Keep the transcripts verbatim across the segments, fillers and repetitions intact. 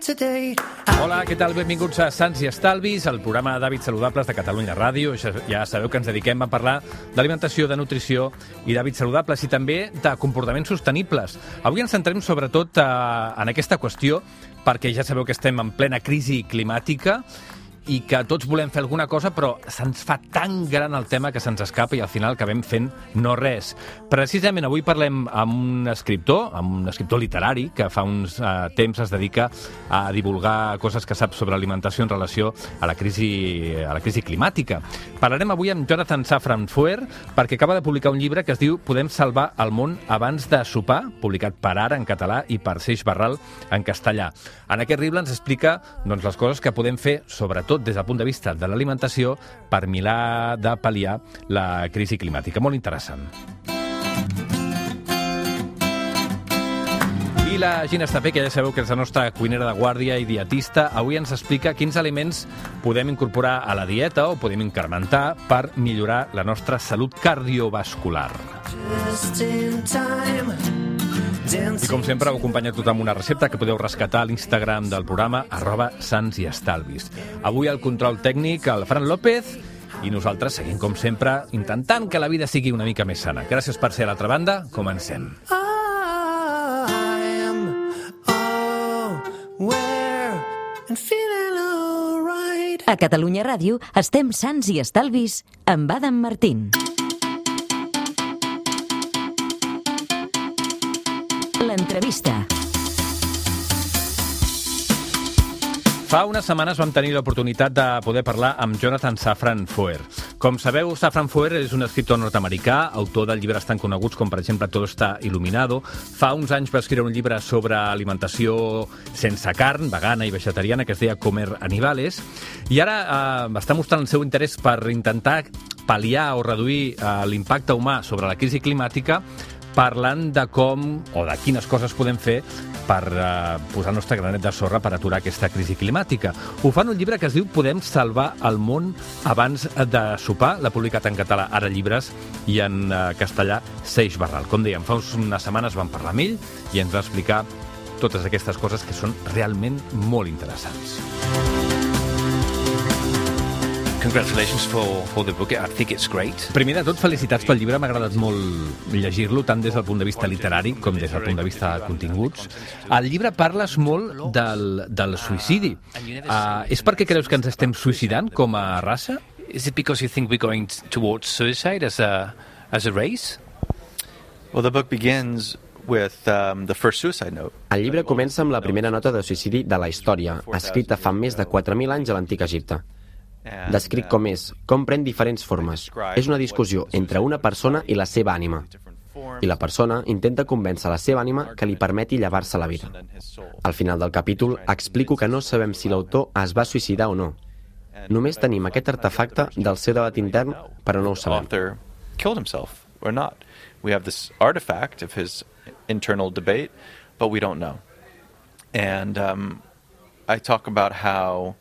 Hola, què tal? Benvinguts a Sants i Estalvis, el programa d'hàbits saludables de Catalunya Ràdio. Ja sabeu que ens dediquem a parlar d'alimentació, de nutrició i d'hàbits saludables i també de comportaments sostenibles. Avui ens centrem sobretot en aquesta qüestió perquè ja sabeu que estem en plena crisi climàtica i que tots volem fer alguna cosa, però se'ns fa tan gran el tema que se'ns escapa i al final acabem fent no res. Precisament avui parlem amb un escriptor, amb un escriptor literari, que fa uns uh, temps es dedica a divulgar coses que sap sobre alimentació en relació a la crisi, a la crisi climàtica. Parlarem avui amb Jonathan Safran Foer, perquè acaba de publicar un llibre que es diu Podem salvar el món abans de sopar, publicat per Ara en català i per Seix Barral en castellà. En aquest llibre ens explica doncs, les coses que podem fer, sobretot des del punt de vista de l'alimentació, per mirar de pal·liar la crisi climàtica. Molt interessant. I la Gina Estapé, que ja sabeu que és la nostra cuinera de guàrdia i dietista, avui ens explica quins aliments podem incorporar a la dieta o podem incrementar per millorar la nostra salut cardiovascular. Just in time. I com sempre ho acompanya tot amb una recepta que podeu rescatar a l'Instagram del programa arroba Sants i Estalvis. Avui al control tècnic el Fran López i nosaltres seguim com sempre intentant que la vida sigui una mica més sana. Gràcies per ser a l'altra banda. Comencem. A Catalunya Ràdio estem Sants i Estalvis amb Adam Martín. L'entrevista. Fa unes setmanes vam tenir l'oportunitat de poder parlar amb Jonathan Safran Foer. Com sabeu, Safran Foer és un escriptor nord-americà, autor de llibres tan coneguts com, per exemple, Todo está iluminado. Fa uns anys va escriure un llibre sobre alimentació sense carn, vegana i vegetariana, que es deia Comer Animales, i ara eh, està mostrant el seu interès per intentar pal·liar o reduir eh, l'impacte humà sobre la crisi climàtica, parlant de com o de quines coses podem fer per uh, posar el nostre granet de sorra per aturar aquesta crisi climàtica. Ho fa en un llibre que es diu Podem salvar el món abans de sopar. L'ha publicat en català Ara Llibres i en uh, castellà Seix Barral. Com dèiem, fa unes setmanes vam parlar amb ell i ens va explicar totes aquestes coses que són realment molt interessants. Congratulations for, for the book. I think it's great. Primer de tot, felicitats pel llibre. M'ha agradat molt llegir-lo, tant des del punt de vista literari com des del punt de vista de continguts. Al llibre parles molt del, del suïcidi. Uh, és perquè creus que ens estem suïcidant com a raça? Is it because you think we're going towards suicide as a, as a race? Well, the book begins with um, the first suicide note. El llibre comença amb la primera nota de suïcidi de la història, escrita fa més de quatre mil anys a l'antic Egipte. Descric com és, com pren diferents formes. És una discussió entre una persona i la seva ànima. I la persona intenta convèncer la seva ànima que li permeti llevar-se la vida. Al final del capítol explico que no sabem si l'autor es va suïcidar o no. Només tenim aquest artefacte del seu debat intern, però no ho sabem. We have this artifact of his internal debate, but we don't know. And um, I talk about how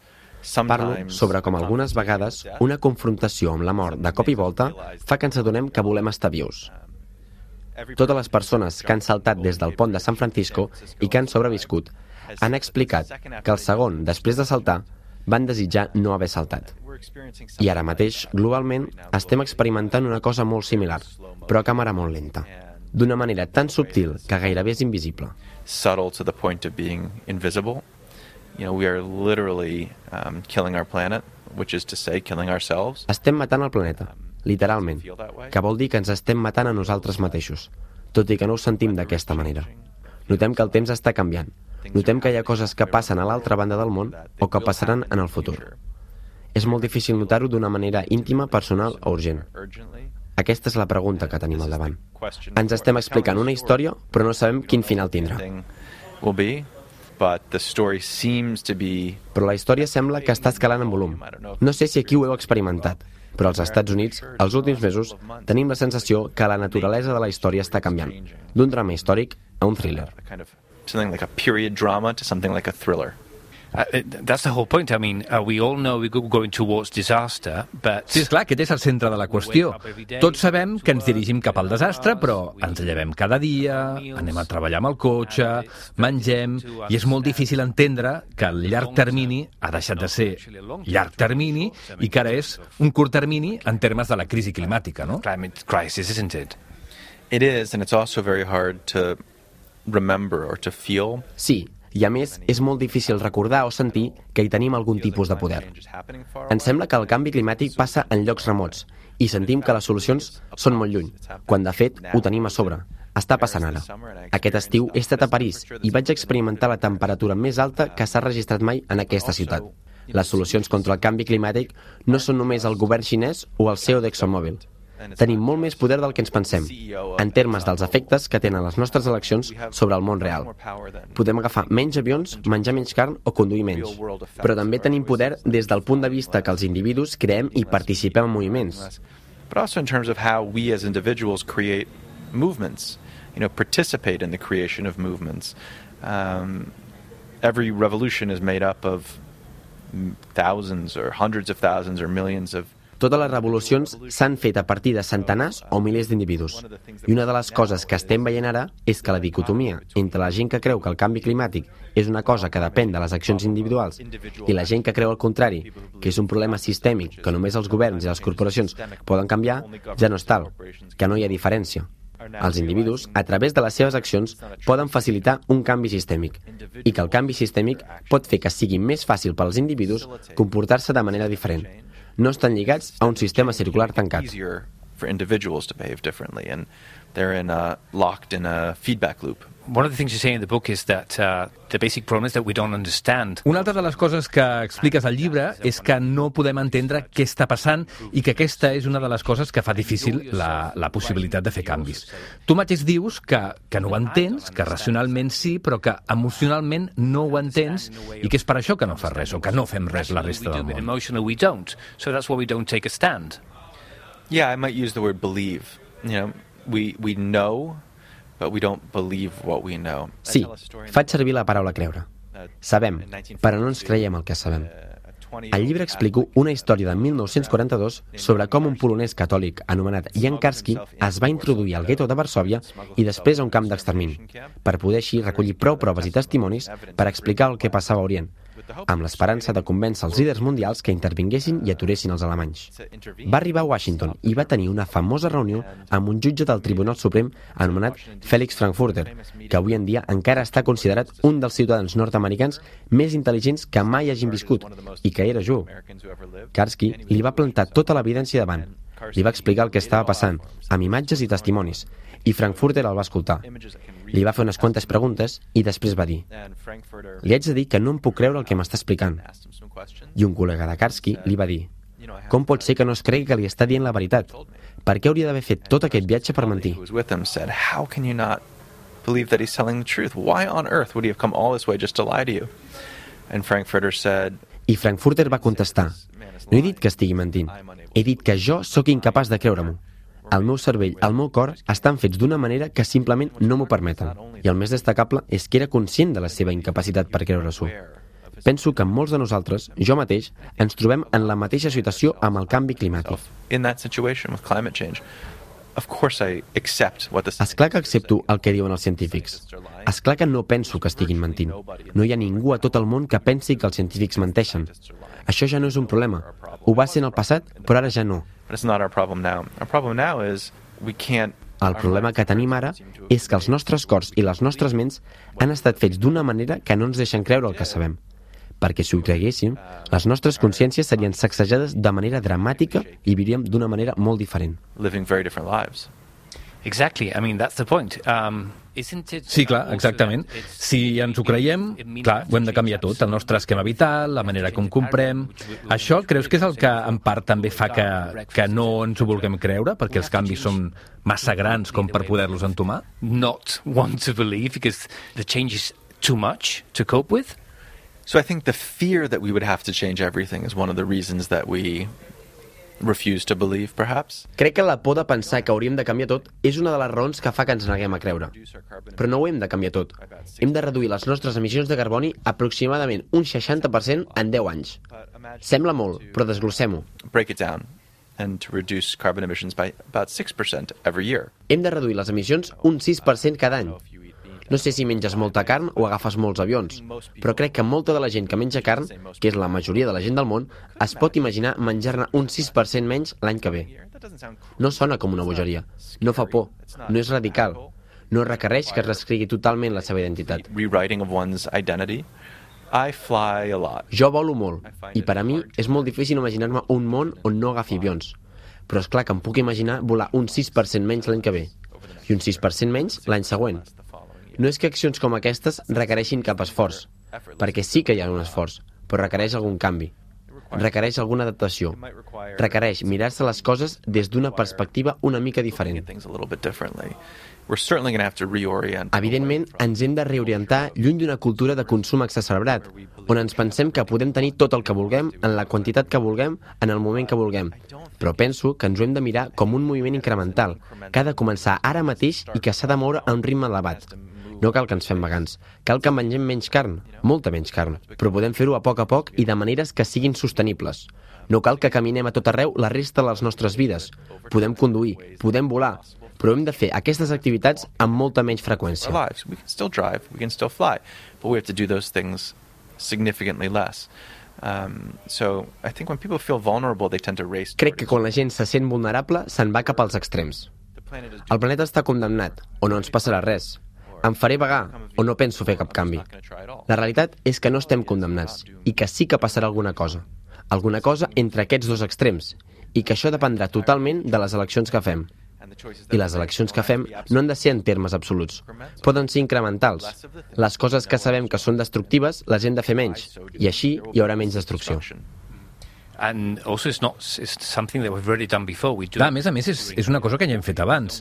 Parlo sobre com algunes vegades una confrontació amb la mort de cop i volta fa que ens adonem que volem estar vius. Totes les persones que han saltat des del pont de San Francisco i que han sobreviscut han explicat que el segon després de saltar van desitjar no haver saltat. I ara mateix, globalment, estem experimentant una cosa molt similar, però a càmera molt lenta, d'una manera tan subtil que gairebé és invisible. Subtle to the point of being invisible. You know, we are literally um, killing our planet, which is to say, killing ourselves. Estem matant el planeta, literalment, que vol dir que ens estem matant a nosaltres mateixos, tot i que no ho sentim d'aquesta manera. Notem que el temps està canviant. Notem que hi ha coses que passen a l'altra banda del món o que passaran en el futur. És molt difícil notar-ho d'una manera íntima, personal o urgent. Aquesta és la pregunta que tenim al davant. Ens estem explicant una història, però no sabem quin final tindrà. But the story seems to be... Però la història sembla que està escalant en volum. No sé si aquí ho heu experimentat, però als Estats Units, els últims mesos, tenim la sensació que la naturalesa de la història està canviant, d'un drama històric a un thriller. Something like a period drama to something like a thriller. Uh, that's the whole point. I mean, uh, we all know we're going towards disaster, but... Sí, esclar, aquest és el centre de la qüestió. Tots sabem que ens dirigim cap al desastre, però ens llevem cada dia, anem a treballar amb el cotxe, mengem, i és molt difícil entendre que el llarg termini ha deixat de ser llarg termini i que ara és un curt termini en termes de la crisi climàtica, no? Climate crisis, isn't it? It is, and it's also very hard to remember or to feel. Sí, i a més és molt difícil recordar o sentir que hi tenim algun tipus de poder. Ens sembla que el canvi climàtic passa en llocs remots i sentim que les solucions són molt lluny, quan de fet ho tenim a sobre. Està passant ara. Aquest estiu he estat a París i vaig experimentar la temperatura més alta que s'ha registrat mai en aquesta ciutat. Les solucions contra el canvi climàtic no són només el govern xinès o el C E O d'ExxonMobil. Tenim molt més poder del que ens pensem, en termes dels efectes que tenen les nostres eleccions sobre el món real. Podem agafar menys avions, menjar menys carn o conduir menys. Però també tenim poder des del punt de vista que els individus creem i participem en moviments. But also in terms of how we as individuals create movements, you know, participate in the creation of movements. Um, every revolution is made up of thousands or hundreds of thousands or millions of Totes les revolucions s'han fet a partir de centenars o milers d'individus. I una de les coses que estem veient ara és que la dicotomia entre la gent que creu que el canvi climàtic és una cosa que depèn de les accions individuals i la gent que creu el contrari, que és un problema sistèmic que només els governs i les corporacions poden canviar, ja no és tal, que no hi ha diferència. Els individus, a través de les seves accions, poden facilitar un canvi sistèmic i que el canvi sistèmic pot fer que sigui més fàcil per als individus comportar-se de manera diferent. No estan lligats a un sistema circular tancat. For individuals to behave differently, and they're in a, locked in a feedback loop. One of the things you say in the book is that uh, the basic problem is that we don't understand. Una altra de les coses que expliques al llibre és que no podem entendre què està passant i que aquesta és una de les coses que fa difícil la, la possibilitat de fer canvis. Tu mateix dius que, que no ho entens, que racionalment sí, però que emocionalment no ho entens i que és per això que no fas res o que no fem res la resta del món. Emotionally we don't, so that's why we don't take a stand. Yeah, I might use the word believe. You know, we we know, but we don't believe what we know. Sí, faig servir la paraula creure. Sabem, però no ens creiem el que sabem. Al llibre explico una història de mil nou-cents quaranta-dos sobre com un polonès catòlic anomenat Jan Karski es va introduir al gueto de Varsòvia i després a un camp d'extermini, per poder així recollir prou proves i testimonis per explicar el que passava a Orient, amb l'esperança de convèncer els líders mundials que intervinguessin i aturessin els alemanys. Va arribar a Washington i va tenir una famosa reunió amb un jutge del Tribunal Suprem anomenat Felix Frankfurter, que avui en dia encara està considerat un dels ciutadans nord-americans més intel·ligents que mai hagin viscut i que era jueu. Karski li va plantar tota l'evidència davant. Li va explicar el que estava passant, amb imatges i testimonis, i Frankfurter el va escoltar. Li va fer unes quantes preguntes i després va dir: li haig de dir que no em puc creure el que m'està explicant. I un col·lega de Karski li va dir: com pot ser que no es cregui que li està dient la veritat? Per què hauria d'haver fet tot aquest viatge per mentir? How can you not believe that he's telling the truth? Why on earth would he have come all this way just to lie to you? And Frankfurter said, I Frankfurter va contestar: no he dit que estigui mentint, he dit que jo sóc incapaç de creure-m'ho. El meu cervell, el meu cor, estan fets d'una manera que simplement no m'ho permeten. I el més destacable és que era conscient de la seva incapacitat per creure-s'ho. Penso que molts de nosaltres, jo mateix, ens trobem en la mateixa situació amb el canvi climàtic. In that situation with climate change, of course I accept what this... Esclar que accepto el que diuen els científics. Esclar que no penso que estiguin mentint. No hi ha ningú a tot el món que pensi que els científics menteixen. Això ja no és un problema. Ho va ser en el passat, però ara ja no. But it's not our problem now. Our problem now is we can't... El problema que tenim ara és que els nostres cors i les nostres ments han estat fets d'una manera que no ens deixen creure el que sabem. Perquè si ho creguéssim, les nostres consciències serien sacsejades de manera dramàtica i viuríem d'una manera molt diferent. Living very different lives. Exactly, I mean, that's the point. Um, isn't it... Sí, clar, exactament. Si ens ho creiem, clar, ho hem de canviar tot, el nostre esquema vital, la manera com comprem... Això creus que és el que en part també fa que, que no ens ho vulguem creure, perquè els canvis són massa grans com per poder-los entomar? Not want to believe, because the change is too much to cope with? So I think the fear that we would have to change everything is one of the reasons that we refuse to believe, perhaps. Crec que la por de pensar que hauríem de canviar tot és una de les raons que fa que ens neguem a creure. Però no ho hem de canviar tot. Hem de reduir les nostres emissions de carboni aproximadament un seixanta per cent en deu anys. Sembla molt, però desglossem-ho. Break it down and to reduce carbon emissions by about six percent every year. Hem de reduir les emissions un sis per cent cada any. No sé si menges molta carn o agafes molts avions, però crec que molta de la gent que menja carn, que és la majoria de la gent del món, es pot imaginar menjar-ne un sis per cent menys l'any que ve. No sona com una bogeria, no fa por, no és radical, no requereix que es reescrigui totalment la seva identitat. Rewriting of one's identity. I fly a lot. Jo volo molt, i per a mi és molt difícil imaginar-me un món on no agafi avions, però és clar que em puc imaginar volar un sis per cent menys l'any que ve, i un sis per cent menys l'any següent. No és que accions com aquestes requereixin cap esforç, perquè sí que hi ha un esforç, però requereix algun canvi. Requereix alguna adaptació. Requereix mirar-se les coses des d'una perspectiva una mica diferent. Evidentment, ens hem de reorientar lluny d'una cultura de consum exacerbat, on ens pensem que podem tenir tot el que vulguem, en la quantitat que vulguem, en el moment que vulguem. Però penso que ens ho hem de mirar com un moviment incremental, que ha de començar ara mateix i que s'ha de moure a un ritme elevat. No cal que ens fem vegans, cal que mengem menys carn, molta menys carn, però podem fer-ho a poc a poc i de maneres que siguin sostenibles. No cal que caminem a tot arreu la resta de les nostres vides. Podem conduir, podem volar, però hem de fer aquestes activitats amb molta menys freqüència. We can still drive, we can still fly, but we have to do those things significantly less. Um, so I think when people feel vulnerable, they tend to race. Crec que quan la gent se sent vulnerable, se'n va cap als extrems. El planeta està condemnat, o no ens passarà res. Em faré vagar o no penso fer cap canvi. La realitat és que no estem condemnats i que sí que passarà alguna cosa. Alguna cosa entre aquests dos extrems i que això dependrà totalment de les eleccions que fem. I les eleccions que fem no han de ser en termes absoluts. Poden ser incrementals. Les coses que sabem que són destructives les hem de fer menys i així hi haurà menys destrucció. And also it's not it's something that we've already done before. We do. Clar, a més a més, és, és una cosa que ja hem fet abans.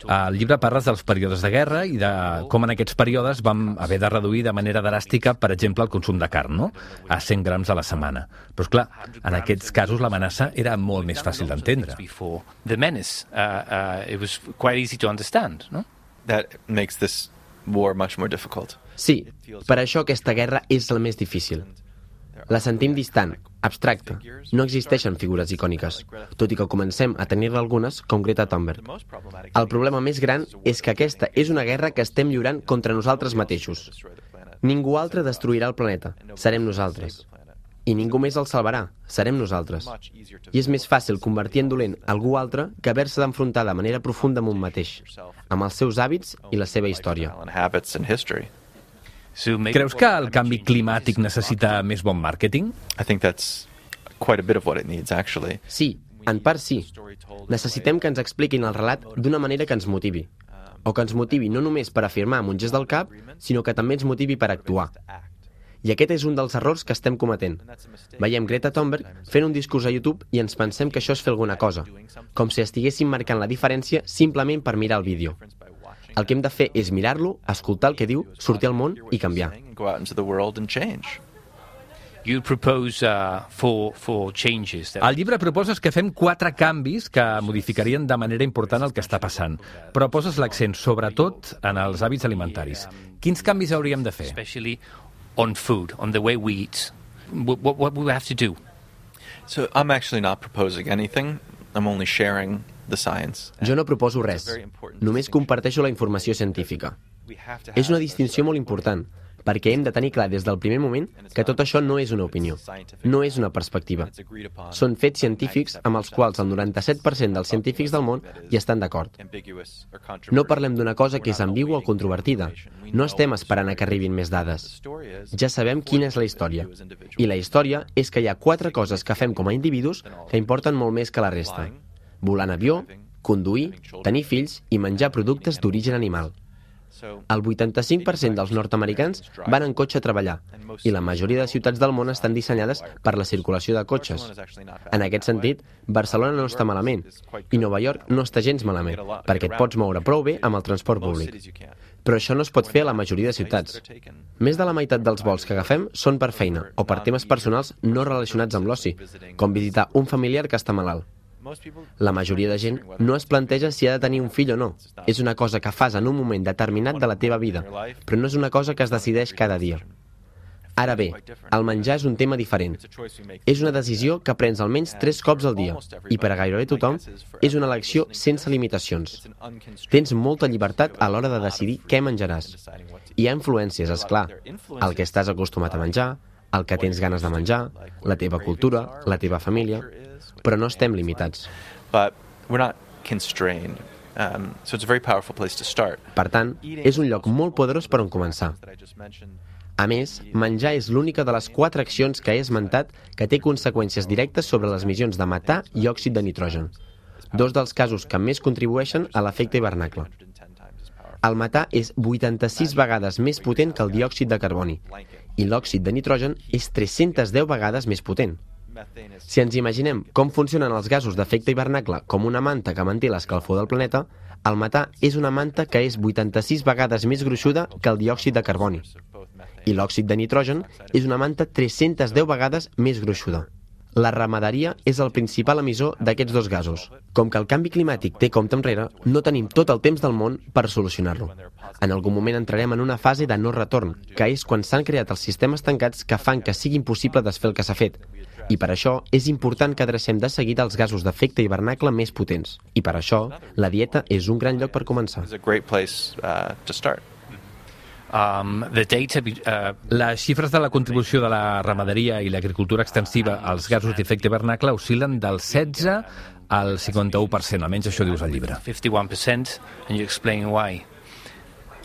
Al llibre parles dels períodes de guerra i de com en aquests períodes vam haver de reduir de manera dràstica, per exemple, el consum de carn, no? A cent grams a la setmana. Però, esclar, en aquests casos l'amenaça era molt més fàcil d'entendre. The menace, uh, uh, it was quite easy to understand, no? That makes this war much more difficult. Sí, per això aquesta guerra és la més difícil. La sentim distant, abstracta. No existeixen figures icòniques, tot i que comencem a tenir-ne algunes, com Greta Thunberg. El problema més gran és que aquesta és una guerra que estem lliurant contra nosaltres mateixos. Ningú altre destruirà el planeta, serem nosaltres. I ningú més el salvarà, serem nosaltres. I és més fàcil convertir en dolent algú altre que haver-se d'enfrontar de manera profunda amb un mateix, amb els seus hàbits i la seva història. Creus que el canvi climàtic necessita més bon màrqueting? I think that's quite a bit of what it needs, actually. Sí, en part sí. Necessitem que ens expliquin el relat d'una manera que ens motivi. O que ens motivi no només per afirmar amb un gest del cap, sinó que també ens motivi per actuar. I aquest és un dels errors que estem cometent. Veiem Greta Thunberg fent un discurs a YouTube i ens pensem que això és fer alguna cosa, com si estiguéssim marcant la diferència simplement per mirar el vídeo. El que hem de fer és mirar-lo, escoltar el que diu, sortir al món i canviar. You propose uh, for, for changes. That... Al llibre proposes que fem quatre canvis que modificarien de manera important el que està passant, però poses l'accent sobretot en els hàbits alimentaris. Quins canvis hauríem de fer? Especially on food, on the way we eat. What, what, what we have to do? So I'm actually not proposing anything. I'm only sharing the science. Jo no proposo res, només comparteixo la informació científica. És una distinció molt important, perquè hem de tenir clar des del primer moment que tot això no és una opinió, no és una perspectiva. Són fets científics amb els quals el noranta-set per cent dels científics del món hi estan d'acord. No parlem d'una cosa que és ambigua o controvertida. No estem esperant a que arribin més dades. Ja sabem quina és la història. I la història és que hi ha quatre coses que fem com a individus que importen molt més que la resta. Volar en avió, conduir, tenir fills i menjar productes d'origen animal. El vuitanta-cinc per cent dels nord-americans van en cotxe a treballar i la majoria de ciutats del món estan dissenyades per la circulació de cotxes. En aquest sentit, Barcelona no està malament i Nova York no està gens malament perquè et pots moure prou bé amb el transport públic. Però això no es pot fer a la majoria de ciutats. Més de la meitat dels vols que agafem són per feina o per temes personals no relacionats amb l'oci, com visitar un familiar que està malalt. La majoria de gent no es planteja si ha de tenir un fill o no. És una cosa que fas en un moment determinat de la teva vida, però no és una cosa que es decideix cada dia. Ara bé, el menjar és un tema diferent. És una decisió que prens almenys tres cops al dia, i per a gairebé tothom és una elecció sense limitacions. Tens molta llibertat a l'hora de decidir què menjaràs. Hi ha influències, és clar, el que estàs acostumat a menjar, el que tens ganes de menjar, la teva cultura, la teva família, però no estem limitats. Per tant, és un lloc molt poderós per on començar. A més, menjar és l'única de les quatre accions que he esmentat que té conseqüències directes sobre les emissions de metà i òxid de nitrogen, dos dels casos que més contribueixen a l'efecte hivernacle. El metà és vuitanta-sis vegades més potent que el diòxid de carboni i l'òxid de nitrogen és tres-centes deu vegades més potent. Si ens imaginem com funcionen els gasos d'efecte hivernacle com una manta que manté l'escalfor del planeta, el metà és una manta que és vuitanta-sis vegades més gruixuda que el diòxid de carboni. I l'òxid de nitrogen és una manta tres-centes deu vegades més gruixuda. La ramaderia és el principal emissor d'aquests dos gasos. Com que el canvi climàtic té compte enrere, no tenim tot el temps del món per solucionar-lo. En algun moment entrarem en una fase de no retorn, que és quan s'han creat els sistemes tancats que fan que sigui impossible desfer el que s'ha fet. I per això és important que adrecem de seguida els gasos d'efecte hivernacle més potents. I per això, la dieta és un gran lloc per començar. Um, the data, uh... Les xifres de la contribució de la ramaderia i l'agricultura extensiva als gasos d'efecte hivernacle oscil·len del setze al cinquanta-u per cent, almenys això dius al llibre. fifty-one percent, and you explain why.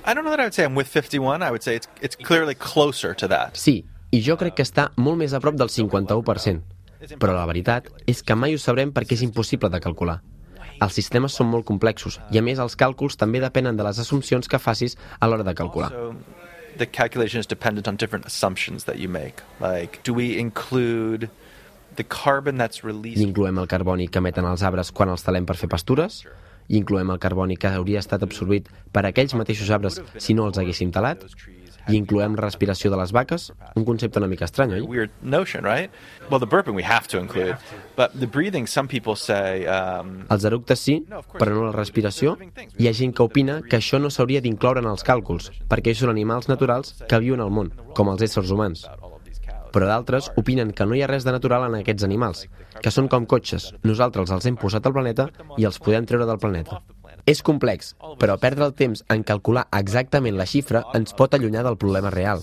I don't know that I would say I'm with fifty-one, I would say it's, it's clearly closer to that. Sí, i jo crec que està molt més a prop del cinquanta-u per cent. Però la veritat és que mai ho sabrem perquè és impossible de calcular. Els sistemes són molt complexos i, a més, els càlculs també depenen de les assumpcions que facis a l'hora de calcular. The calculation is dependent on different assumptions that you make. Like, do we include the carbon that's released? I incloem el carboni que emeten els arbres quan els talem per fer pastures? I incloem el carboni que hauria estat absorbit per aquells mateixos arbres si no els haguéssim talat? I incloem la respiració de les vaques? Un concepte una mica estrany, oi? Weird notion, right? Well, the burping we have to include, but the breathing, some people say... Um... Els eructes sí, però no la respiració. Hi ha gent que opina que això no s'hauria d'incloure en els càlculs, perquè són animals naturals que viuen al món, com els éssers humans. Però d'altres opinen que no hi ha res de natural en aquests animals, que són com cotxes. Nosaltres els hem posat al planeta i els podem treure del planeta. És complex, però perdre el temps en calcular exactament la xifra ens pot allunyar del problema real,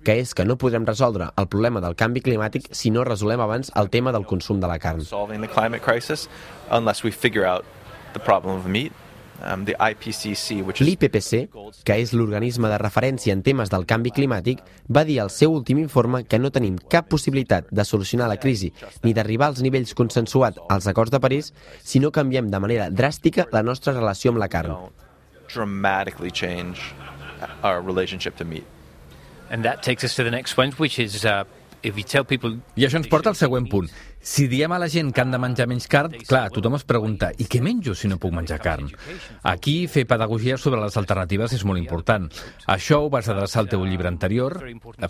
que és que no podrem resoldre el problema del canvi climàtic si no resolem abans el tema del consum de la carn. L'I P C C, que és l'organisme de referència en temes del canvi climàtic, va dir al seu últim informe que no tenim cap possibilitat de solucionar la crisi ni d'arribar als nivells consensuats als acords de París si no canviem de manera dràstica la nostra relació amb la carn. And that takes us to the next point, which is uh, if you tell people... I això ens porta al següent punt. Si diem a la gent que han de menjar menys carn, clar, tothom es pregunta, i què menjo si no puc menjar carn? Aquí fer pedagogia sobre les alternatives és molt important. Això ho vas adreçar al teu llibre anterior,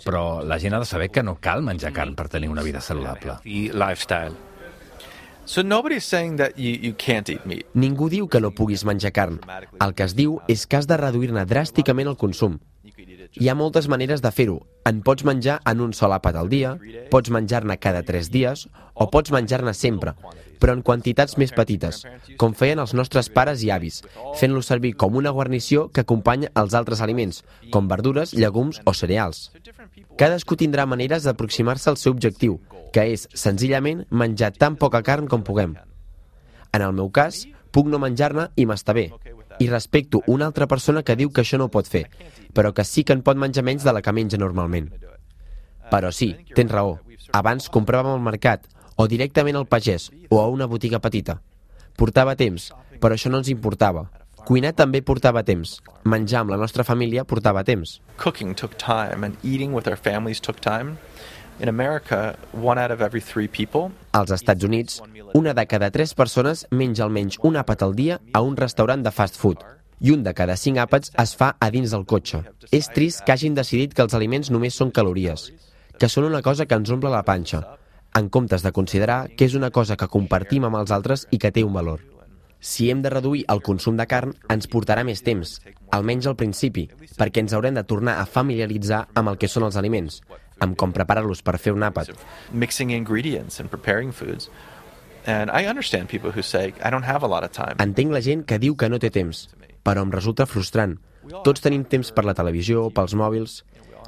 però la gent ha de saber que no cal menjar carn per tenir una vida saludable. Lifestyle. So nobody's saying that you, you can't eat meat. Ningú diu que no puguis menjar carn. El que es diu és que has de reduir-ne dràsticament el consum. Hi ha moltes maneres de fer-ho. En pots menjar en un sol àpat al dia, pots menjar-ne cada tres dies o pots menjar-ne sempre, però en quantitats més petites, com feien els nostres pares i avis, fent-lo servir com una guarnició que acompanya els altres aliments, com verdures, llegums o cereals. Cadascú tindrà maneres d'aproximar-se al seu objectiu, que és, senzillament, menjar tan poca carn com puguem. En el meu cas, puc no menjar-ne i m'està bé. I respecto una altra persona que diu que això no ho pot fer, però que sí que en pot menjar menys de la que menja normalment. Però sí, tens raó. Abans compràvem al mercat, o directament al pagès, o a una botiga petita. Portava temps, però això no ens importava. Cuinar també portava temps. Menjar amb la nostra família portava temps. Cooking took time, and eating with our families took time. In America, one out of every three people... Als Estats Units, una de cada tres persones menja almenys un àpat al dia a un restaurant de fast food. I un de cada cinc àpats es fa a dins del cotxe. És trist que hagin decidit que els aliments només són calories, que són una cosa que ens omple la panxa. en comptes de considerar que és una cosa que compartim amb els altres i que té un valor. Si hem de reduir el consum de carn, ens portarà més temps, almenys al principi, perquè ens haurem de tornar a familiaritzar amb el que són els aliments, amb com preparar-los per fer un àpat. Mixing ingredients and preparing foods. And I understand people who say, I don't have a lot of time. Entenc la gent que diu que no té temps, però em resulta frustrant. Tots tenim temps per la televisió, pels mòbils.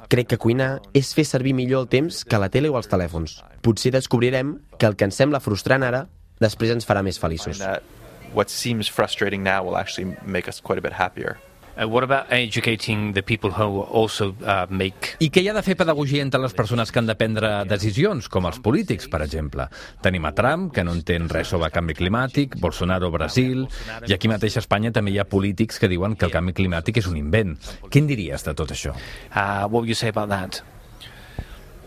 Crec que cuinar és fer servir millor el temps que la tele o els telèfons. Potser descobrirem que el que ens sembla frustrant ara, després ens farà més feliços. What seems frustrating now will actually make us quite a bit happier. Uh, what about educating the people who also uh, make... I què hi ha de fer pedagogia entre les persones que han de prendre decisions, com els polítics, per exemple? Tenim a Trump, que no entén res sobre canvi climàtic, Bolsonaro a Brasil, i aquí mateix a Espanya també hi ha polítics que diuen que el canvi climàtic és un invent. Què en diries de tot això? Uh, what would you say about that?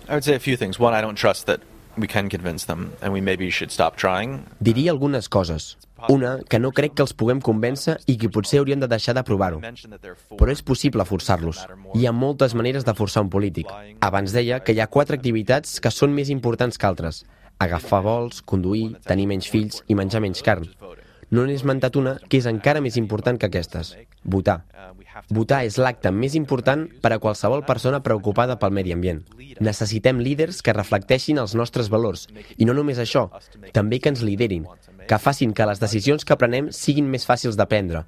I would say a few things. One, I don't trust that we can convince them, and we maybe should stop trying. Diria algunes coses. Una, que no crec que els puguem convèncer i que potser haurien de deixar de provar-ho. Però és possible forçar-los. Hi ha moltes maneres de forçar un polític. Abans deia que hi ha quatre activitats que són més importants que altres. Agafar vols, conduir, tenir menys fills i menjar menys carn. No n'he esmentat una que és encara més important que aquestes. Votar. Votar és l'acte més important per a qualsevol persona preocupada pel medi ambient. Necessitem líders que reflecteixin els nostres valors. I no només això, també que ens liderin, que facin que les decisions que prenem siguin més fàcils de prendre,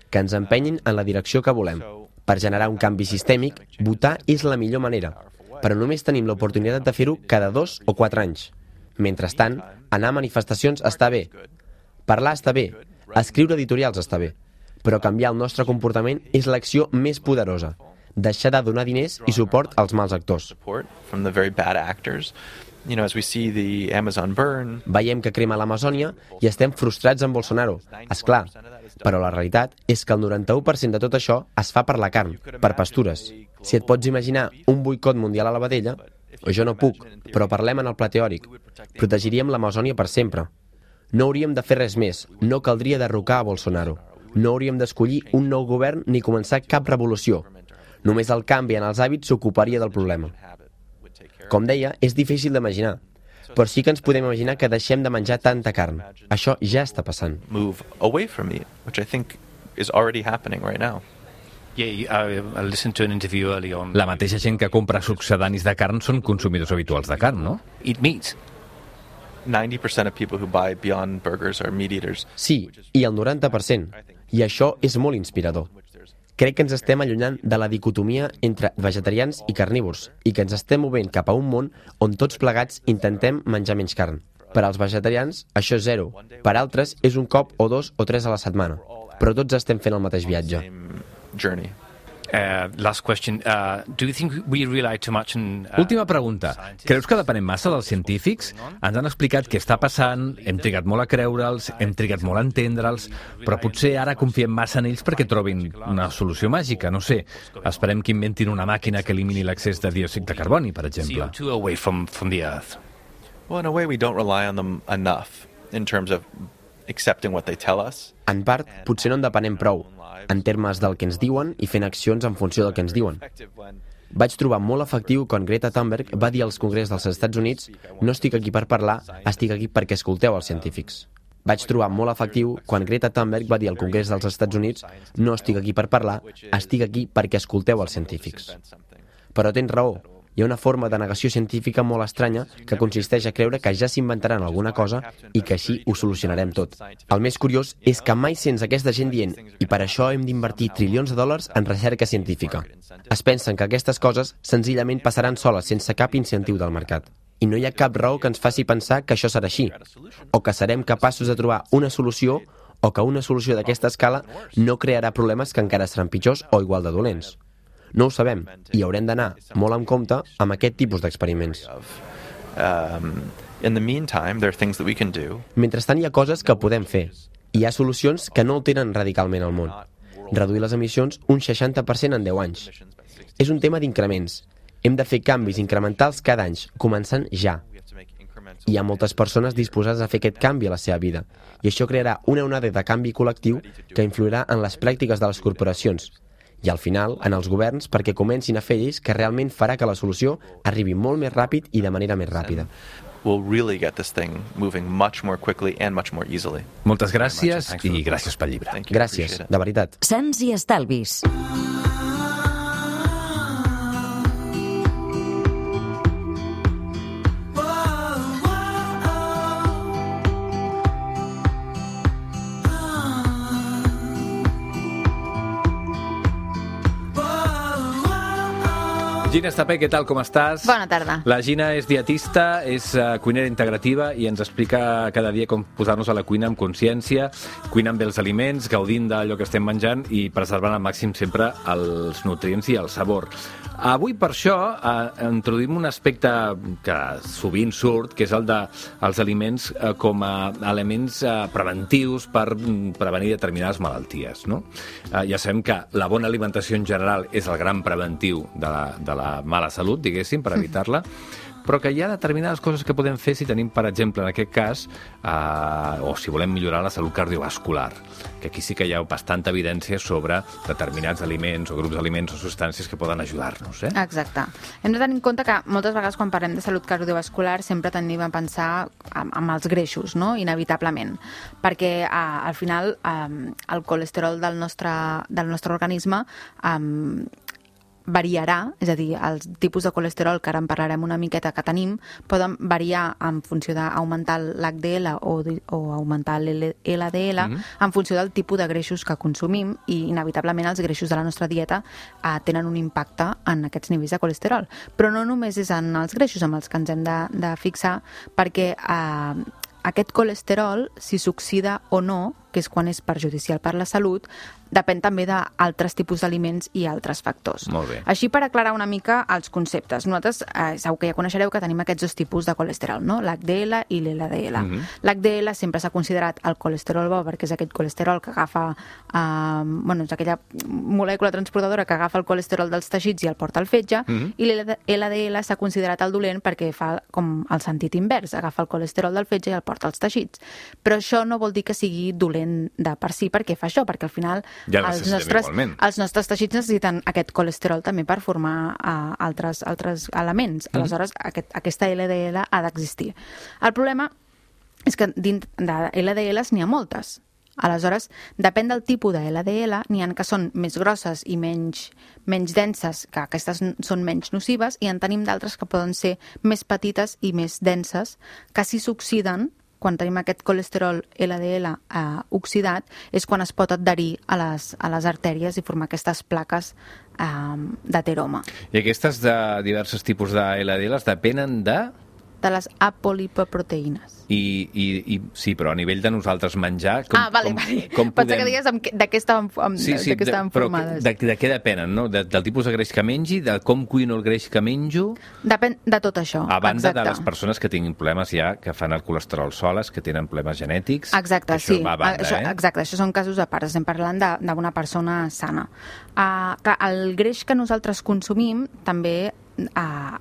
que ens empenyin en la direcció que volem. Per generar un canvi sistèmic, votar és la millor manera, però només tenim l'oportunitat de fer-ho cada dos o quatre anys. Mentrestant, anar a manifestacions està bé, parlar està bé, escriure editorials està bé, però canviar el nostre comportament és l'acció més poderosa. Deixar de donar diners i suport als mals actors. You know, as we see the Amazon burn. Veiem que crema l'Amazònia i estem frustrats amb Bolsonaro. És clar, però la realitat és que el noranta-u per cent de tot això es fa per la carn, per pastures. Si et pots imaginar un boicot mundial a la vedella, o jo no puc, però parlem en el pla teòric. Protegiríem l'Amazònia per sempre. No hauríem de fer res més, no caldria derrocar a Bolsonaro. No hauríem d'escollir un nou govern ni començar cap revolució. Només el canvi en els hàbits s'ocuparia del problema. Com deia, és difícil d'imaginar, però sí que ens podem imaginar que deixem de menjar tanta carn. Això ja està passant. Move away from meat, which I think is already happening right now. Yeah, I listened to an interview early on. La mateixa gent que compra succedanis de carn són consumidors habituals de carn, no? Eat meat. ninety percent of people who buy Beyond Burgers are meat eaters. Sí, i el noranta per cent. I això és molt inspirador. Crec que ens estem allunyant de la dicotomia entre vegetarians i carnívors i que ens estem movent cap a un món on tots plegats intentem menjar menys carn. Per als vegetarians, això és zero. Per altres, és un cop o dos o tres a la setmana. Però tots estem fent el mateix viatge. Uh, last question. Uh, do you think we rely too much on... Uh, Última pregunta. Creus que depenem massa dels científics? Ens han explicat què està passant, hem trigat molt a creure'ls, hem trigat molt a entendre'ls, però potser ara confiem massa en ells perquè trobin una solució màgica, no sé. Esperem que inventin una màquina que elimini l'excés de diòxid de carboni, per exemple. C O two away from, from the Earth. Well, in a way, we don't rely on them enough in terms of accepting what they tell us. En part, potser no en depenem prou, en termes del que ens diuen i fent accions en funció del que ens diuen. Vaig trobar molt efectiu quan Greta Thunberg va dir als congrés dels Estats Units «No estic aquí per parlar, estic aquí perquè escolteu els científics». Vaig trobar molt efectiu quan Greta Thunberg va dir al congrés dels Estats Units «No estic aquí per parlar, estic aquí perquè escolteu els científics». Però tens raó. Hi ha una forma de negació científica molt estranya que consisteix a creure que ja s'inventaran alguna cosa i que així ho solucionarem tot. El més curiós és que mai sents aquesta gent dient i per això hem d'invertir trilions de dòlars en recerca científica. Es pensen que aquestes coses senzillament passaran soles sense cap incentiu del mercat. I no hi ha cap raó que ens faci pensar que això serà així, o que serem capaços de trobar una solució o que una solució d'aquesta escala no crearà problemes que encara seran pitjors o igual de dolents. No ho sabem, i haurem d'anar molt en compte amb aquest tipus d'experiments. Mentrestant, hi ha coses que podem fer. Hi ha solucions que no alteren radicalment el món. Reduir les emissions un seixanta per cent en deu anys. És un tema d'increments. Hem de fer canvis incrementals cada any, començant ja. Hi ha moltes persones disposades a fer aquest canvi a la seva vida, i això crearà una onada de canvi col·lectiu que influirà en les pràctiques de les corporacions, i al final en els governs perquè comencin a fer lleis que realment farà que la solució arribi molt més ràpid i de manera més ràpida. will really get this thing moving much more quickly and much more easily. Moltes gràcies i gràcies pel llibre. Gràcies, de veritat. Sants i estalvis. Gina Estapé, què tal, com estàs? Bona tarda. La Gina és dietista, és uh, cuinera integrativa i ens explica cada dia com posar-nos a la cuina amb consciència, cuinant bé els aliments, gaudint d'allò que estem menjant i preservant al màxim sempre els nutrients i el sabor. Avui, per això, eh, introduïm un aspecte que sovint surt, que és el dels aliments eh, com a elements eh, preventius per prevenir determinades malalties, no? Eh, ja sabem que la bona alimentació en general és el gran preventiu de la, de la mala salut, diguéssim, per evitar-la, però que hi ha determinades coses que podem fer si tenim, per exemple, en aquest cas, eh, o si volem millorar la salut cardiovascular, que aquí sí que hi ha bastanta evidència sobre determinats aliments o grups d'aliments o substàncies que poden ajudar-nos. Eh? Exacte. Hem de tenir en compte que moltes vegades quan parlem de salut cardiovascular sempre tendim a pensar en, en els greixos, no? Inevitablement, perquè eh, al final eh, el colesterol del nostre, del nostre organisme eh, variarà, és a dir, els tipus de colesterol, que ara en parlarem una miqueta que tenim, poden variar en funció d'augmentar l'H D L o, o augmentar l'L D L mm-hmm. en funció del tipus de greixos que consumim i inevitablement els greixos de la nostra dieta eh, tenen un impacte en aquests nivells de colesterol. Però no només és en els greixos amb els que ens hem de, de fixar, perquè eh, aquest colesterol, si s'oxida o no, que és quan és perjudicial per la salut, depèn també d'altres tipus d'aliments i altres factors. Molt bé. Així, per aclarar una mica els conceptes, nosaltres eh, segur que ja coneixereu que tenim aquests dos tipus de colesterol, no? L'H D L i l'L D L. Mm-hmm. L'H D L sempre s'ha considerat el colesterol bo perquè és aquest colesterol que agafa, eh, bueno, és aquella molècula transportadora que agafa el colesterol dels teixits i el porta al fetge, mm-hmm. i l'L D L s'ha considerat el dolent perquè fa com el sentit invers, agafa el colesterol del fetge i el porta als teixits. Però això no vol dir que sigui dolent de per si, perquè fa això, perquè al final ja els, nostres, els nostres teixits necessiten aquest colesterol també per formar uh, altres, altres elements. Mm-hmm. Aleshores, aquest, aquesta L D L ha d'existir. El problema és que dins de L D Ls n'hi ha moltes. Aleshores, depèn del tipus de L D L, n'hi ha que són més grosses i menys, menys denses, que aquestes són menys nocives, i en tenim d'altres que poden ser més petites i més denses, que si s'oxiden, quan tenim aquest colesterol L D L eh, oxidat, és quan es pot adherir a les, a les artèries i formar aquestes plaques eh, d'ateroma. I aquestes de diversos tipus de L D Ls depenen de... de les apolipoproteïnes. I, i, i sí, però a nivell de nosaltres menjar... Com, ah, vale, com, vale. Com Pensa podem... que digues amb, de què estaven, amb, sí, sí, de què estaven de, formades. Però de, de què depenen, no? De, del tipus de greix que mengi, de com cuino el greix que menjo... Depèn de tot això. A banda exacte. De les persones que tinguin problemes ja, que fan el colesterol soles, que tenen problemes genètics... Exacte, això sí. Va a banda, això, eh? Exacte, això són casos a part. Estem parlant d'una persona sana. Uh, clar, el greix que nosaltres consumim també... Uh,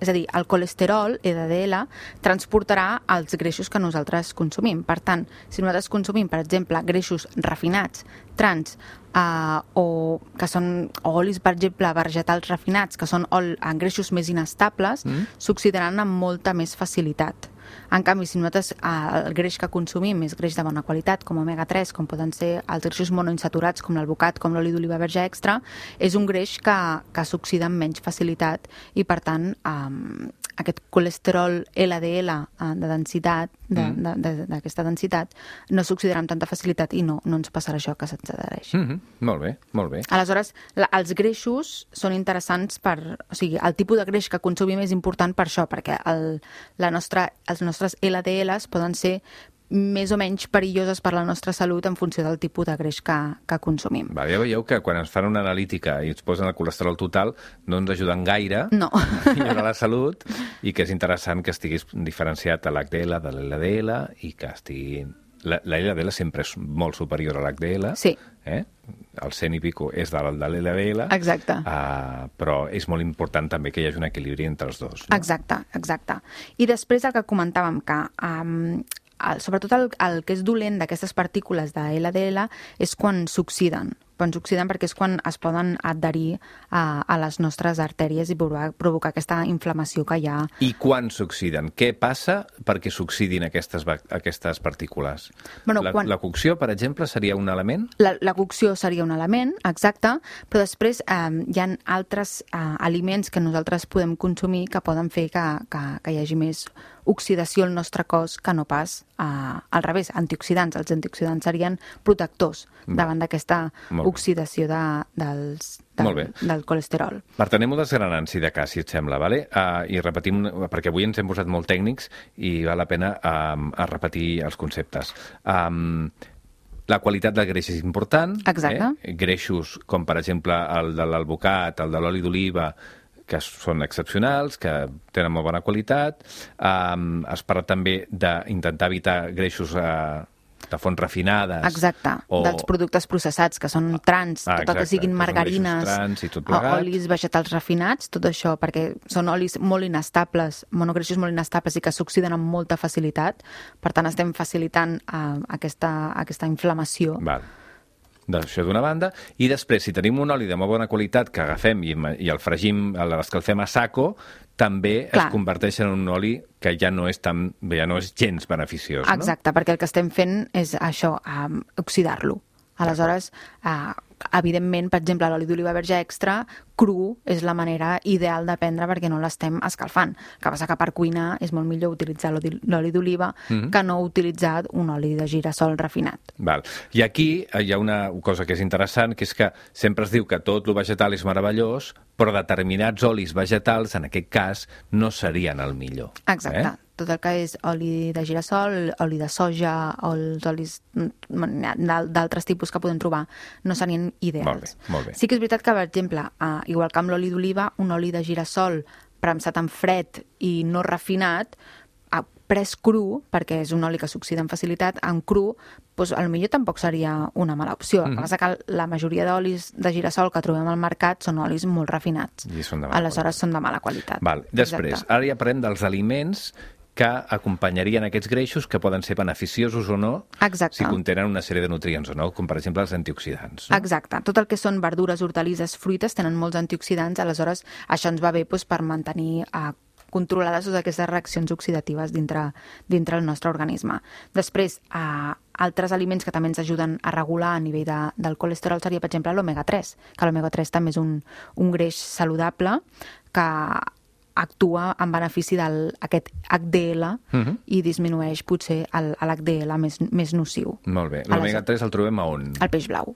és a dir, el colesterol, L D L, transportarà els greixos que nosaltres consumim. Per tant, si nosaltres consumim, per exemple, greixos refinats, trans, eh, o que són olis, per exemple, vegetals refinats, que són ol, greixos més inestables, mm. s'oxidaran amb molta més facilitat. En canvi, si nosaltres eh, el greix que consumim és greix de bona qualitat, com omega tres, com poden ser els greixos monoinsaturats, com l'alvocat, com l'oli d'oliva verge extra, és un greix que, que s'oxida amb menys facilitat i, per tant, eh, aquest colesterol L D L eh, de densitat, d'aquesta de, de, de, densitat, no s'oxidarà amb tanta facilitat i no, no ens passarà això que se'ns adhereix. Mm-hmm. Molt bé, molt bé. Aleshores, la, els greixos són interessants per... O sigui, el tipus de greix que consumim és important per això, perquè el, la nostra, els nostres L D Ls poden ser més o menys perilloses per la nostra salut en funció del tipus de greix que, que consumim. Va, ja veieu que quan ens fan una analítica i ens posen el colesterol total no ens ajuden gaire no. a millorar la salut i que és interessant que estiguis diferenciat a l'H D L de l'L D L i que estigui... La, la L D L sempre és molt superior a l'H D L. Sí. Eh? El cent i pico és de l'L D L. Exacte. Uh, però és molt important també que hi hagi un equilibri entre els dos. No? Exacte, exacte. I després el que comentàvem, que um, el, sobretot el, el que és dolent d'aquestes partícules de L D L és quan s'oxiden. quan s'oxiden perquè és quan es poden adherir a, a les nostres artèries i provocar, provocar aquesta inflamació que hi ha. I quan s'oxiden? Què passa perquè s'oxidin aquestes, aquestes partícules? Bueno, la, quan... la cocció, per exemple, seria un element? La, la cocció seria un element, exacte, però després eh, hi ha altres eh, aliments que nosaltres podem consumir que poden fer que, que, que hi hagi més oxidació al nostre cos que no pas eh, al revés, antioxidants. Els antioxidants serien protectors davant d'aquesta oxidació de, dels, del, del colesterol. Marta, anem-ho desgranant, si de cas, si et sembla, vale? Uh, i repetim, perquè avui ens hem posat molt tècnics i val la pena uh, a repetir els conceptes. Um, la qualitat del greix és important. Exacte. Eh? Greixos com, per exemple, el de l'alvocat, el de l'oli d'oliva, que són excepcionals, que tenen molt bona qualitat. Um, es parla també d'intentar evitar greixos uh, de fonts refinades. Exacte, o... dels productes processats, que són trans, ah, tot el que siguin margarines, trans i tot olis vegetals refinats, tot això, perquè són olis molt inestables, monogreixos molt inestables i que s'oxiden amb molta facilitat. Per tant, estem facilitant uh, aquesta, aquesta inflamació. Val. D'això d'una banda, i després, si tenim un oli de molt bona qualitat que agafem i, i el fregim, l'escalfem a saco, també Clar. es converteix en un oli que ja no és tan, ja no és gens beneficiós. Exacte, no? Perquè el que estem fent és això, um, oxidar-lo. Aleshores, uh, evidentment, per exemple, l'oli d'oliva verge extra, cru, és la manera ideal de prendre perquè no l'estem escalfant. El que passa que per cuinar és molt millor utilitzar l'oli d'oliva mm-hmm. que no utilitzar un oli de girassol refinat. Val. I aquí hi ha una cosa que és interessant, que és que sempre es diu que tot el vegetal és meravellós, però determinats olis vegetals, en aquest cas, no serien el millor. Exacte. Eh? Tot el que és oli de girassol, oli de soja, o els olis d'altres tipus que podem trobar, no serien ideals. Molt bé, molt bé. Sí que és veritat que, per exemple, uh, igual que amb l'oli d'oliva, un oli de girassol premsat en fred i no refinat, uh, pres cru, perquè és un oli que s'oxida amb facilitat, en cru, doncs potser tampoc seria una mala opció. Mm-hmm. El que passa que la majoria d'olis de girassol que trobem al mercat són olis molt refinats. I són de mala Aleshores qualitat. són de mala qualitat. Val. Després, Exacte. ara ja parlem dels aliments que acompanyarien aquests greixos, que poden ser beneficiosos o no, Exacte. si contenen una sèrie de nutrients o no, com per exemple els antioxidants. No? Exacte. Tot el que són verdures, hortalisses, fruites, tenen molts antioxidants, aleshores això ens va bé doncs, per mantenir eh, controlades totes aquestes reaccions oxidatives dintre, dintre el nostre organisme. Després, eh, altres aliments que també ens ajuden a regular a nivell de, del colesterol seria, per exemple, l'omega tres, que l'omega tres també és un, un greix saludable que actua en benefici d'aquest H D L uh-huh. i disminueix potser l'H D L més, més nociu. Molt bé. L'omega tres el trobem a on? Al peix blau.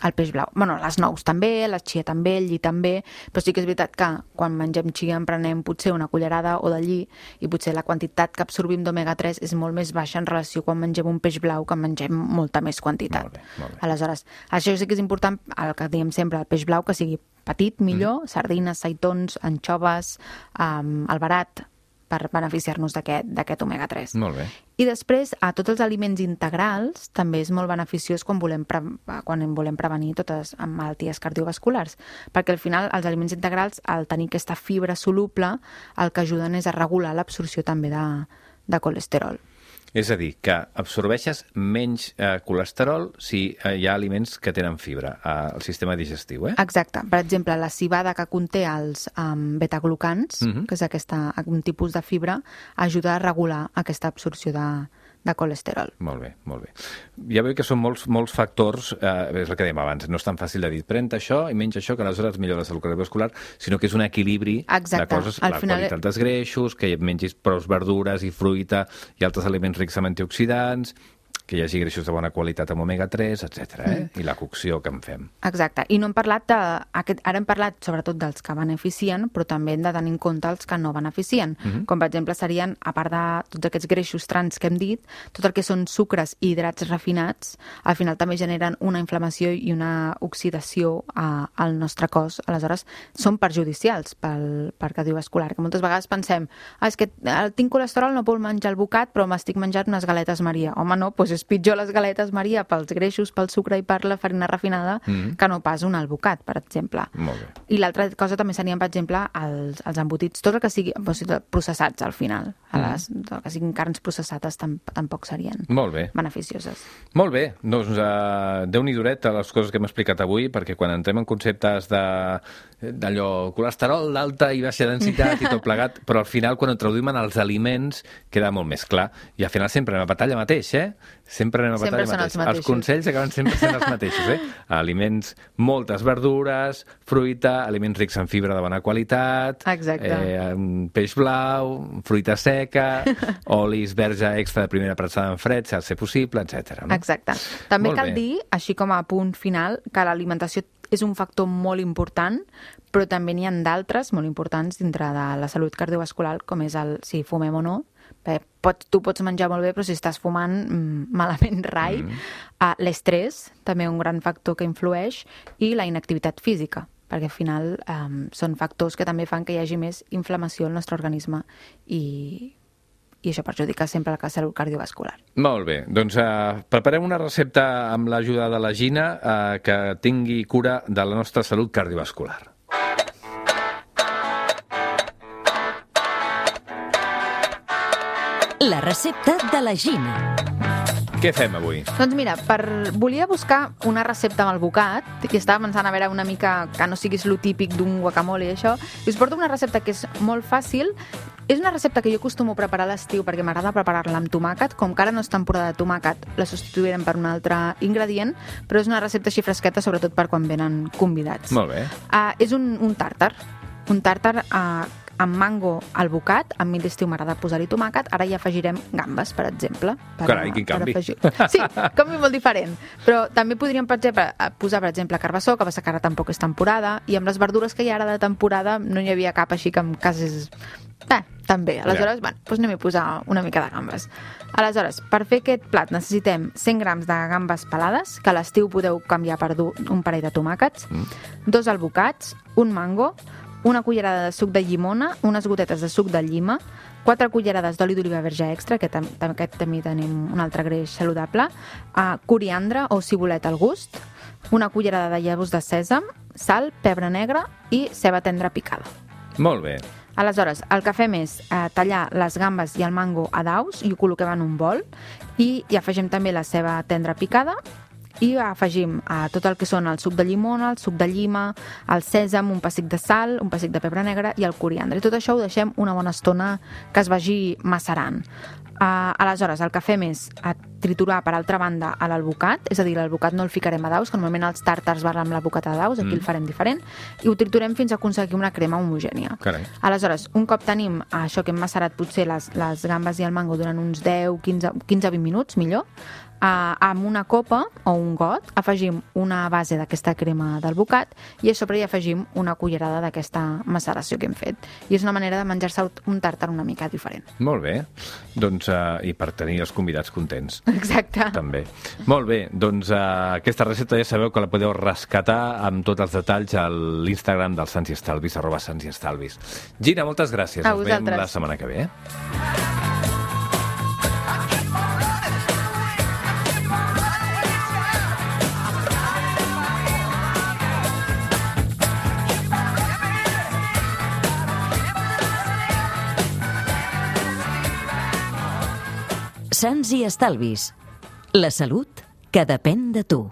El peix blau. Bueno, les nous també, la chia també, el lli també, però sí que és veritat que quan mengem chia en prenem potser una cullerada o de lli i potser la quantitat que absorbim d'omega tres és molt més baixa en relació quan mengem un peix blau que mengem molta més quantitat. Molt bé, molt bé. Aleshores, això sí que és important, el que diem sempre, el peix blau que sigui petit, millor, mm. sardines, seitons, anxoves, um, el barat, per beneficiar-nos d'aquest omega tres. Molt bé. I després, a tots els aliments integrals també és molt beneficiós quan volem, pre quan volem prevenir totes les malalties cardiovasculars, perquè al final els aliments integrals, al tenir aquesta fibra soluble, el que ajuden és a regular l'absorció també de, de colesterol. És a dir, que absorbeixes menys eh, colesterol si eh, hi ha aliments que tenen fibra al eh, sistema digestiu, eh? Exacte. Per exemple, la civada que conté els um, betaglucans, uh-huh. que és aquesta, un tipus de fibra, ajuda a regular aquesta absorció de, de colesterol. Molt bé, molt bé. Ja veu que són molts, molts factors, eh, és el que dèiem abans, no és tan fàcil de dir, pren això i menys això, que aleshores millora la salut cardiovascular, sinó que és un equilibri Exacte. de coses, Al la final... qualitat dels greixos, que mengis prou verdures i fruita i altres aliments rics en antioxidants, que hi hagi greixos de bona qualitat amb omega tres, etcètera. Eh? Mm. I la cocció que en fem. Exacte. I no hem parlat de... Aquest, ara hem parlat sobretot dels que beneficien, però també hem de tenir en compte els que no beneficien. Mm-hmm. Com, per exemple, serien, a part de tots aquests greixos trans que hem dit, tot el que són sucres i hidrats refinats, al final també generen una inflamació i una oxidació a, al nostre cos. Aleshores, són perjudicials pel, per cardiovascular, que moltes vegades pensem, ah, és que tinc colesterol, no puc menjar el bocat, però m'estic menjant unes galetes Maria. Home, no, doncs és pitjor les galetes Maria pels greixos, pel sucre i per la farina refinada mm. que no pas un albocat, per exemple. Molt bé. I l'altra cosa també serien, per exemple, els, els embotits, tot el que sigui doncs, processats al final. A les, mm. que siguin carns processades tampoc serien Molt bé. beneficioses. Molt bé. Doncs uh, Déu-n'hi duret a les coses que hem explicat avui, perquè quan entrem en conceptes de d'allò, colesterol d'alta i baixa densitat i tot plegat, però al final quan ho traduïm en els aliments queda molt més clar. I al final sempre anem a batalla mateix, eh? Sempre anem a sempre batalla mateix. Els, els consells acaben sempre sent els mateixos, eh? Aliments, moltes verdures, fruita, aliments rics en fibra de bona qualitat, eh, peix blau, fruita seca, olis verge extra de primera pressada en fred, si ha de ser possible, etcètera. No? Exacte. També molt cal bé. dir, així com a punt final, que l'alimentació és un factor molt important, però també n'hi ha d'altres molt importants dintre de la salut cardiovascular, com és el si fumem o no. Bé, pots, tu pots menjar molt bé, però si estàs fumant, mmm, malament rai. Mm. Uh, l'estrès, també un gran factor que influeix, i la inactivitat física, perquè al final um, són factors que també fan que hi hagi més inflamació al nostre organisme i... i això perjudica sempre la salut cardiovascular. Molt bé, doncs uh, preparem una recepta amb l'ajuda de la Gina uh, que tingui cura de la nostra salut cardiovascular. La recepta de la Gina. Què fem avui? Doncs mira, per... volia buscar una recepta amb albocat i estava pensant a veure una mica que no siguis lo típic d'un guacamole i això, i us porto una recepta que és molt fàcil. És una recepta que jo acostumo a preparar a l'estiu perquè m'agrada preparar-la amb tomàquet. Com que ara no és temporada de tomàquet, la substituirem per un altre ingredient, però és una recepta així fresqueta, sobretot per quan venen convidats. Molt bé. Uh, és un, un tàrtar. Un tàrtar uh, amb mango albocat. A mi l'estiu m'agrada posar-hi tomàquet. Ara hi afegirem gambes, per exemple. Per, Carai, quin canvi. Afegir... Sí, canvi molt diferent. Però també podríem, per exemple, posar, per exemple, carbassó, que passa que ara tampoc és temporada, i amb les verdures que hi ha ara de temporada no hi havia cap així que en cases... Bé, també. Aleshores, ja. bueno, doncs anem a posar una mica de gambes. Aleshores, per fer aquest plat necessitem cent grams de gambes pelades, que a l'estiu podeu canviar per un parell de tomàquets, mm. dos albocats, un mango, una cullerada de suc de llimona, unes gotetes de suc de llima, quatre cullerades d'oli d'oliva verge extra, que tam aquest també tenim un altre greix saludable, uh, coriandre o cibulet al gust, una cullerada de llavors de sèsam, sal, pebre negre i ceba tendra picada. Molt bé. Aleshores, el que fem és eh, tallar les gambes i el mango a daus i ho col·loquem en un bol i hi afegim també la ceba tendra picada i afegim eh, tot el que són el suc de llimona, el suc de llima, el sèsam, un pessic de sal, un pessic de pebre negre i el coriandre. I tot això ho deixem una bona estona que es vagi macerant. Uh, aleshores, el que fem és uh, triturar per altra banda a l'albocat, és a dir, l'albocat no el ficarem a daus, que normalment els tàrtars van amb l'albocat a daus, aquí mm. el farem diferent, i ho triturem fins a aconseguir una crema homogènia. Carai. Aleshores, un cop tenim uh, això que hem macerat potser les, les gambes i el mango durant uns deu, quinze, quinze vint minuts, millor, Uh, amb una copa o un got afegim una base d'aquesta crema d'albocat i a sobre hi afegim una cullerada d'aquesta maceració que hem fet. I és una manera de menjar-se un tàrtar una mica diferent. Molt bé. Doncs, uh, i per tenir els convidats contents. Exacte. També. Molt bé. Doncs uh, aquesta recepta ja sabeu que la podeu rescatar amb tots els detalls a l'Instagram del Sants i Estalvis, arroba Sants i Estalvis. Gina, moltes gràcies. A Ens vosaltres. veiem la setmana que ve. Eh? Sants i Estalvis. La salut que depèn de tu.